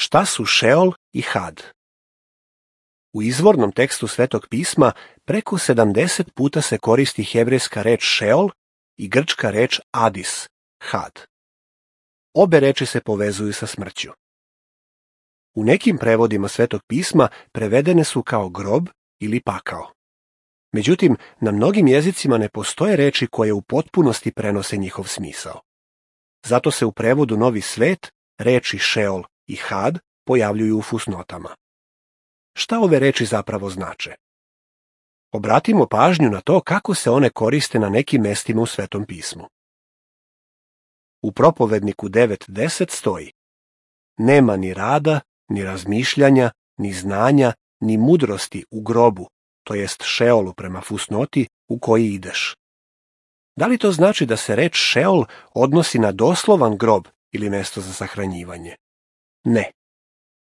Šta su Šeol i Had? U izvornom tekstu Svetog pisma preko 70 puta se koristi hebrejska reč Šeol i grčka reč Adis, Had. Obe reči se povezuju sa smrću. U nekim prevodima Svetog pisma prevedene su kao grob ili pakao. Međutim, na mnogim jezicima ne postoje reči koje u potpunosti prenose njihov smisao. Zato se u prevodu Novi svet reči Šeol i Had pojavljuju u fusnotama. Šta ove reči zapravo znače? Obratimo pažnju na to kako se one koriste na nekim mestima u Svetom pismu. U Propovedniku 9.10 stoji: Nema ni rada, ni razmišljanja, ni znanja, ni mudrosti u grobu, to jest Šeolu prema fusnoti u koji ideš. Da li to znači da se reč Šeol odnosi na doslovan grob ili mesto za sahranjivanje? Ne.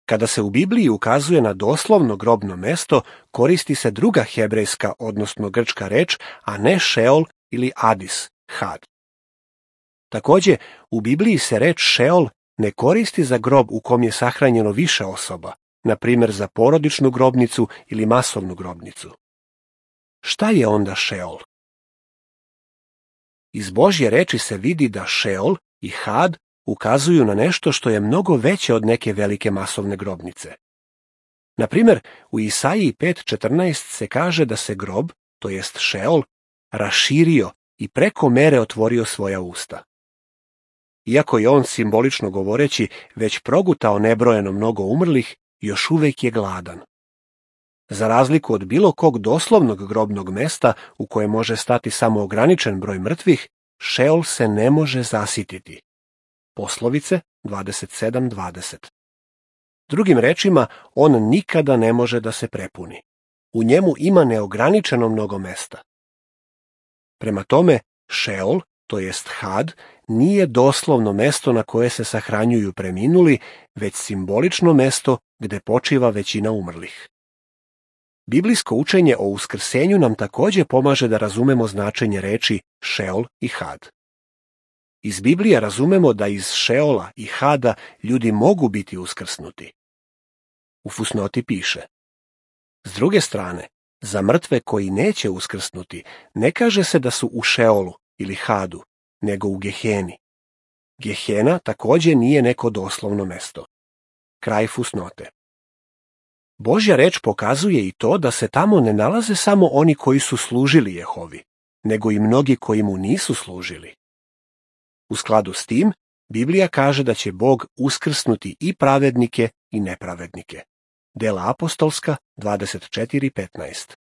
Kada se u Bibliji ukazuje na doslovno grobno mesto, koristi se druga hebrejska, odnosno grčka reč, a ne Šeol ili Adis, Had. Također, u Bibliji se reč Šeol ne koristi za grob u kom je sahranjeno više osoba, na primjer za porodičnu grobnicu ili masovnu grobnicu. Šta je onda Šeol? Iz Božje reči se vidi da Šeol i Had ukazuju na nešto što je mnogo veće od neke velike masovne grobnice. Na primjer, u Isaiji 5.14 se kaže da se grob, to jest Šeol, raširio i preko mere otvorio svoja usta. Iako je on, simbolično govoreći, već progutao nebrojeno mnogo umrlih, još uvijek je gladan. Za razliku od bilo kog doslovnog grobnog mesta u koje može stati samo ograničen broj mrtvih, Šeol se ne može zasititi. Poslovice 27.20. Drugim rečima, on nikada ne može da se prepuni. U njemu ima neograničeno mnogo mesta. Prema tome, Šeol, to jest Had, nije doslovno mesto na koje se sahranjuju preminuli, već simbolično mesto gde počiva većina umrlih. Biblijsko učenje o uskrsenju nam također pomaže da razumemo značenje reči Šeol i Had. Iz Biblije razumemo da iz Šeola i Hada ljudi mogu biti uskrsnuti. U fusnoti piše: S druge strane, za mrtve koji neće uskrsnuti, ne kaže se da su u Šeolu ili Hadu, nego u Geheni. Gehena također nije neko doslovno mesto. Kraj fusnote. Božja reč pokazuje i to da se tamo ne nalaze samo oni koji su služili Jehovi, nego i mnogi koji mu nisu služili. U skladu s tim, Biblija kaže da će Bog uskrsnuti i pravednike i nepravednike. Dela apostolska 24.15.